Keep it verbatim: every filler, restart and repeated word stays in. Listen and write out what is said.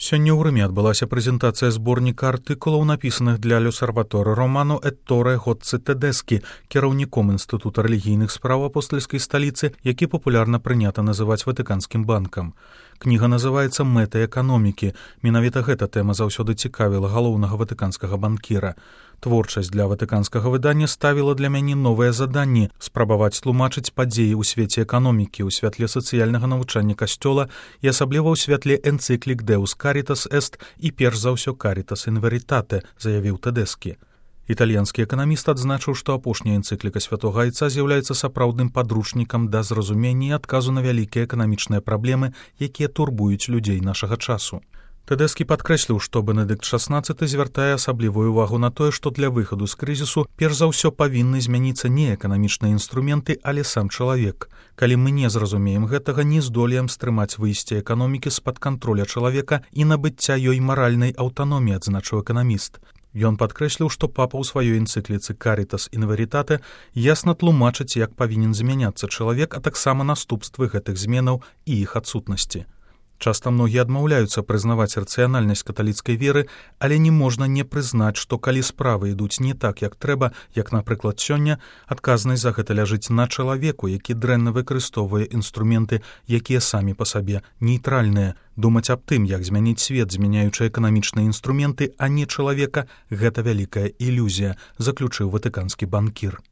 Сёння ў Рыме адбылася прэзентацыя зборніка артыкулаў, напісаных для L'Osservatore Romano Ettore Gozzi Tedeschi, кіраўніком Інстытута рэлігійных спраў апостальскай сталіцы, які папулярна прынята называць Ватыканскім банкам. Кніга называецца «Мэты эканомікі». Менавіта гэта тэма заўсёды цікавіла галоўнага ватыканскага банкіра. Творчасць для ватыканскага выдання ставіла для мяне новыя заданні спрабаваць тлумачыць падзеі ў свеце эканомікі, у святле сацыяльнага навучання касцёла і асабліва ў святле энцыклік «Deus Caritas Est» і перш за ўсё «Caritas in Veritate», заявіў Тэдэскі. Італьянскі эканаміст адзначыў, што апошняя энцыкліка святога айца з'яўляецца сапраўдным падручнікам да зразумення і адказу на вялікія эканамічныя праблемы, якія турбуюць людзей нашага часу. Тэдэскі падкрэсліў, што Бенедыкт шаснаццаты звяртае асаблівую увагу на тое, што для выхаду з крызісу перш за ўсё павінны змяніцца не эканамічныя інструменты, але сам чалавек. Калі мы не зразумеем гэтага, не здолеем стрымаць выйсце эканомікі з-пад кантроля чалавека і набыцця ёй маральнай аўтаноміі, адзначыў эканаміст. Ён падкрэсліў, што папа ў сваёй энцыкліцы «Caritas in Veritate» ясна тлумачыць, як павінен змяняцца чалавек, а таксама наступствы гэтых зменаў і іх адсутнасці. Часта многія адмаўляюцца прызнаваць рацыянальнасць каталіцкай веры, але не можна не прызнаць, што калі справы ідуць не так, як трэба, як, напрыклад, сёння, адказнасць за гэта ляжыць на чалавеку, які дрэнна выкарыстоўвае інструменты, якія самі па сабе нейтральныя. Думаць аб тым, як змяніць свет, змяняючы эканамічныя інструменты, а не чалавека, гэта вялікая ілюзія, заключыў ватыканскі банкір.